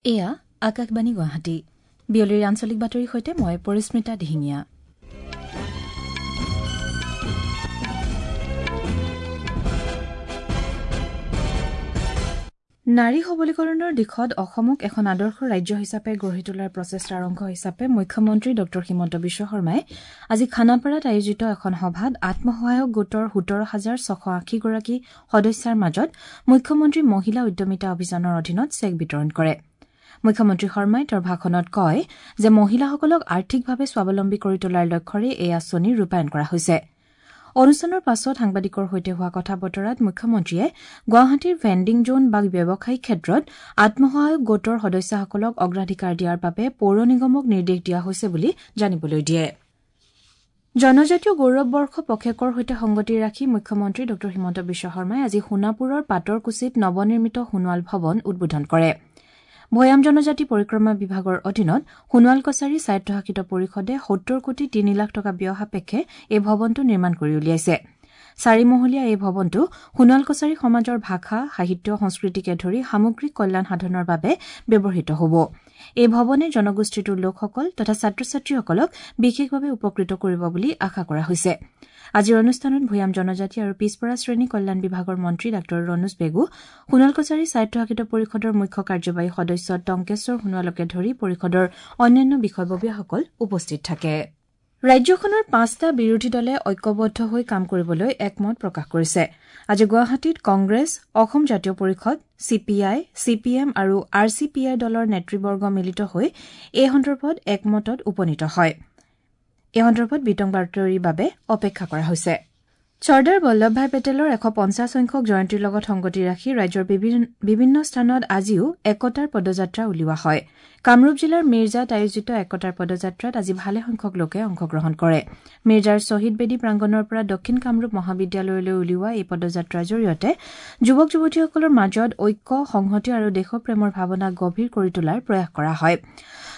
এয়া আকাশবাণী গুৱাহাটী। বিয়লিৰ আঞ্চলিক বাতৰিৰ সৈতে মই পৰিস্মিতা দিহিঙীয়া। নাৰী সবলীকৰণৰ দিশত অসমক এখন আদৰ্শ ৰাজ্য হিচাপে গঢ়ি তোলাৰ প্ৰচেষ্টাৰ অংশ হিচাপে মুখ্যমন্ত্ৰী ড হিমন্ত বিশ্ব শৰ্মাই আজি খানাপাৰাত আয়োজিত এখন সভাত আত্মসহায়ক গোটৰ ১৭,৬৮০ গৰাকী সদস্যাৰ মাজত মুখ্যমন্ত্ৰী মহিলা উদ্যমিতা অভিযানৰ অধীনত চেক বিতৰণ কৰে। মুখ্যমন্ত্ৰী শৰ্মাই তেওঁৰ ভাষণত কয় যে মহিলাসকলক আৰ্থিকভাৱে স্বাৱলম্বী কৰি তোলাৰ লক্ষ্যৰে এই আঁচনি ৰূপায়ণ কৰা হৈছে। অনুষ্ঠানৰ পাছত সাংবাদিকৰ সৈতে হোৱা কথা বতৰাত মুখ্যমন্ত্ৰীয়ে গুৱাহাটীৰ ভেণ্ডিং জ'ন বা ব্যৱসায়িক ক্ষেত্ৰত আত্মসহায়ক গোটৰ সদস্যাসকলক অগ্ৰাধিকাৰ দিয়াৰ বাবে পৌৰ নিগমক নিৰ্দেশ দিয়া হৈছে বুলি জানিবলৈ দিয়ে। জনজাতীয় গৌৰৱ বৰ্ষ পষেকৰ সৈতে সংগতি ৰাখি মুখ্যমন্ত্ৰী ড হিমন্ত বিশ্ব শৰ্মাই আজি সোণাপুৰৰ পাটৰকুছিত নৱনিৰ্মিত সোণোৱাল ভৱন উদ্বোধন কৰে। ভৈয়াম জনজাতি পৰিক্ৰমা বিভাগৰ অধীনত সোণোৱাল কছাৰী স্বায়ত্তশাসিত পৰিষদে ৭০ কোটি ৩ লাখ টকা ব্যয় সাপেক্ষে এই ভৱনটো নিৰ্মাণ কৰি উলিয়াইছে। চাৰিমহলীয়া এই ভৱনটো সোণোৱাল কছাৰী সমাজৰ ভাষা, সাহিত্য, সংস্কৃতিকে ধৰি সামগ্ৰিক কল্যাণ সাধনৰ বাবে ব্যৱহৃত হ'ব। এই ভৱনে জনগোষ্ঠীটোৰ লোকসকল তথা ছাত্ৰ ছাত্ৰীসকলক বিশেষভাৱে উপকৃত কৰিব বুলি আশা কৰা হৈছে। আজিৰ অনুষ্ঠানত ভৈয়াম জনজাতি আৰু পিছপৰা শ্ৰেণী কল্যাণ বিভাগৰ মন্ত্ৰী ডাঃ ৰণোজ পেগু, সোণোৱাল কছাৰী স্বায়ত্তশাসিত পৰিষদৰ মুখ্য কাৰ্যবাহী সদস্য টংকেশ্বৰ সোণোৱালকে ধৰি পৰিষদৰ অন্যান্য বিষয়ববীয়াসকল উপস্থিত থাকে। ৰাজ্যখনৰ পাঁচটা বিৰোধী দলে ঐক্যবদ্ধ হৈ কাম কৰিবলৈ একমত প্ৰকাশ কৰিছে। আজি গুৱাহাটীত কংগ্ৰেছ, অসম জাতীয় পৰিষদ, C P I, C P M আৰু আৰ চি পি আই দলৰ নেতৃবৰ্গ মিলিত হৈ এই সন্দৰ্ভত একমতত উপনীত হয়। এই সন্দৰ্ভত বিতং বাতৰিৰ বাবে অপেক্ষা কৰা হৈছে। চৰ্দাৰ বল্লভভাই পেটেলৰ ১৫০ সংখ্যক জয়ন্তীৰ লগত সংগতি ৰাখি ৰাজ্যৰ বিভিন্ন স্থানত আজিও একতাৰ পদযাত্ৰা উলিওৱা হয়। কামৰূপ জিলাৰ মিৰ্জাত আয়োজিত একতাৰ পদযাত্ৰাত আজি ভালেসংখ্যক লোকে অংশগ্ৰহণ কৰে। মিৰ্জাৰ শ্বহীদ বেদী প্ৰাংগণৰ পৰা দক্ষিণ কামৰূপ মহাবিদ্যালয়লৈ উলিওৱা এই পদযাত্ৰাৰ জৰিয়তে যুৱক যুৱতীসকলৰ মাজত ঐক্য, সংহতি আৰু দেশপ্ৰেমৰ ভাৱনা গভীৰ কৰি তোলাৰ প্ৰয়াস কৰা হয়।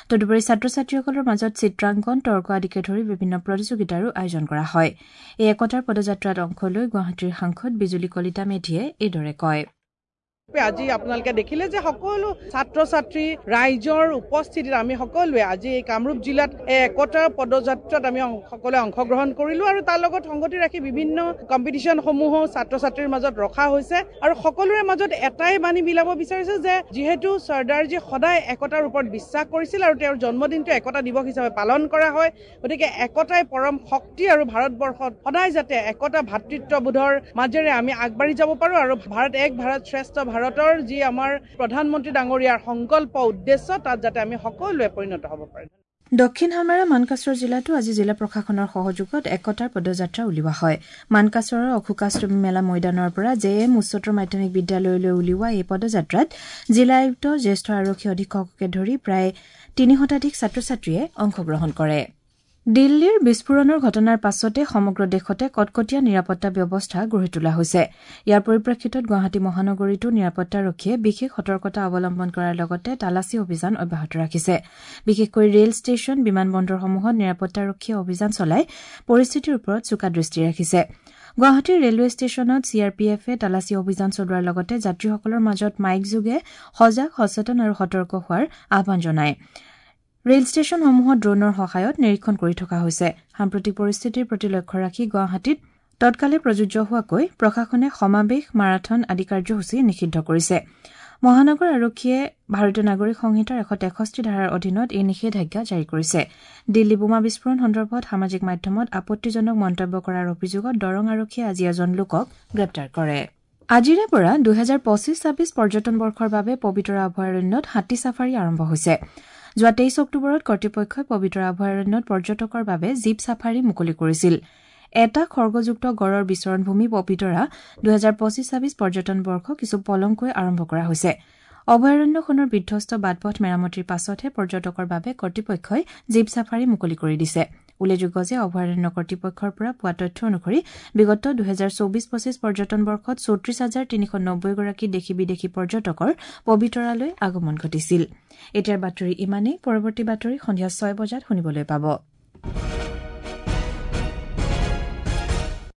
তদুপৰি ছাত্ৰ ছাত্ৰীসকলৰ মাজত চিত্ৰাংকন, তৰ্ক আদিকে ধৰি বিভিন্ন প্ৰতিযোগিতাৰো আয়োজন কৰা হয়। এই একতাৰ পদযাত্ৰাত অংশ লৈ গুৱাহাটীৰ সাংসদ বিজুলী কলিতা মেধিয়ে এইদৰে কয়। আজি আপোনালোকে দেখিলে যে সকলো ছাত্ৰ ছাত্ৰী ৰাইজৰ উপস্থিতিত আমি সকলোৱে আজি এই কামৰূপ জিলাত এই একতাৰ পদযাত্ৰাত আমি সকলোৱে অংশগ্ৰহণ কৰিলোঁ আৰু তাৰ লগত সংগতি ৰাখি বিভিন্ন কম্পিটিশ্যনসমূহো ছাত্ৰ ছাত্ৰীৰ মাজত ৰখা হৈছে আৰু সকলোৰে মাজত এটাই বাণী বিলাব বিচাৰিছে যে যিহেতু চৰ্দাৰজী সদায় একতাৰ ওপৰত বিশ্বাস কৰিছিল আৰু তেওঁৰ জন্মদিনটো একতা দিৱস হিচাপে পালন কৰা হয়, গতিকে একতাই পৰম শক্তি আৰু ভাৰতবৰ্ষত সদায় যাতে একতা ভাতৃত্ববোধৰ মাজেৰে আমি আগবাঢ়ি যাব পাৰোঁ আৰু ভাৰত এক ভাৰত শ্ৰেষ্ঠ ভাৰতৰ যি আমাৰ প্ৰধানমন্ত্ৰী ডাঙৰীয়াৰ সংকল্প উদ্দেশ্য, তাত যাতে আমি সকলোৱে পৰিণত হ'ব পাৰোঁ। দক্ষিণ হালমাৰা মানকাচৰ জিলাতো আজি জিলা প্ৰশাসনৰ সহযোগত একতাৰ পদযাত্ৰা উলিওৱা হয়। মানকাচৰৰ অশোকাষ্টমী মেলা ময়দানৰ পৰা জে এম উচ্চতৰ মাধ্যমিক বিদ্যালয়লৈ উলিওৱা এই পদযাত্ৰাত জিলা আয়ুক্ত, জ্যেষ্ঠ আৰক্ষী অধীক্ষককে ধৰি প্ৰায় ৩ শতাধিক ছাত্ৰ ছাত্ৰীয়ে অংশগ্ৰহণ কৰে। দিল্লীৰ বিস্ফোৰণৰ ঘটনাৰ পাছতে সমগ্ৰ দেশতে কটকটীয়া নিৰাপত্তা ব্যৱস্থা গঢ়ি তোলা হৈছে। ইয়াৰ পৰিপ্ৰেক্ষিতত গুৱাহাটী মহানগৰীতো নিৰাপত্তাৰক্ষীয়ে বিশেষ সতৰ্কতা অৱলম্বন কৰাৰ লগতে তালাচী অভিযান অব্যাহত ৰাখিছে। বিশেষকৈ ৰেল ষ্টেচন, বিমানবন্দৰসমূহত নিৰাপত্তাৰক্ষীয়ে অভিযান চলাই পৰিস্থিতিৰ ওপৰত চোকা দৃষ্টি ৰাখিছে। গুৱাহাটীৰ ৰেলৱে ষ্টেচনত চি আৰ পি এফে তালাচী অভিযান চলোৱাৰ লগতে যাত্ৰীসকলৰ মাজত মাইকযোগে সজাগ, সচেতন আৰু সতৰ্ক হোৱাৰ আহ্বান জনায়। ৰেল ষ্টেচনসমূহত ড্ৰোনৰ সহায়ত নিৰীক্ষণ কৰি থকা হৈছে। সাম্প্ৰতিক পৰিস্থিতিৰ প্ৰতি লক্ষ্য ৰাখি গুৱাহাটীত তৎকালে প্ৰযোজ্য হোৱাকৈ প্ৰশাসনে সমাৱেশ, মাৰাথন আদি কাৰ্যসূচী নিষিদ্ধ কৰিছে। মহানগৰ আৰক্ষীয়ে ভাৰতীয় নাগৰিক সংহিতাৰ ১৬৩ ধাৰাৰ অধীনত এই নিষেধাজ্ঞা জাৰি কৰিছে। দিল্লী বোমা বিস্ফোৰণ সন্দৰ্ভত সামাজিক মাধ্যমত আপত্তিজনক মন্তব্য কৰাৰ অভিযোগত দৰং আৰক্ষীয়ে আজি এজন লোকক গ্ৰেপ্তাৰ কৰে। আজিৰে পৰা ২০২৫-২৬ পৰ্যটন বৰ্ষৰ বাবে পবিতৰা অভয়াৰণ্যত হাতী ছাফাৰী আৰম্ভ হৈছে। যোৱা ২৩ অক্টোবৰত কৰ্তৃপক্ষই পবিতৰা অভয়াৰণ্যত পৰ্যটকৰ বাবে জীপ ছাফাৰী মুকলি কৰিছিল। এটা খৰ্গযুক্ত গড়ৰ বিচৰণভূমি পবিতৰা ২০২৫-২৬ পৰ্যটন বৰ্ষ কিছু পলমকৈ আৰম্ভ কৰা হৈছে। অভয়াৰণ্যখনৰ বিধ্বস্ত বাট-পথ মেৰামতিৰ পাছতহে পৰ্যটকৰ বাবে কৰ্তৃপক্ষই জীপ ছাফাৰী মুকলি কৰি দিছে। উল্লেখযোগ্য যে অভয়াৰণ্য কৰ্তৃপক্ষৰ পৰা পোৱা তথ্য অনুসৰি বিগত ২০২৪-২৫ পৰ্যটন বৰ্ষত ৩৪,৩৯০ গৰাকী দেশী বিদেশী পৰ্যটকৰ পবিতৰালৈ আগমন ঘটিছিল। এতিয়াৰ বাতৰি ইমানেই। পৰৱৰ্তী বাতৰি সন্ধিয়া ৬ বজাত শুনিবলৈ পাব।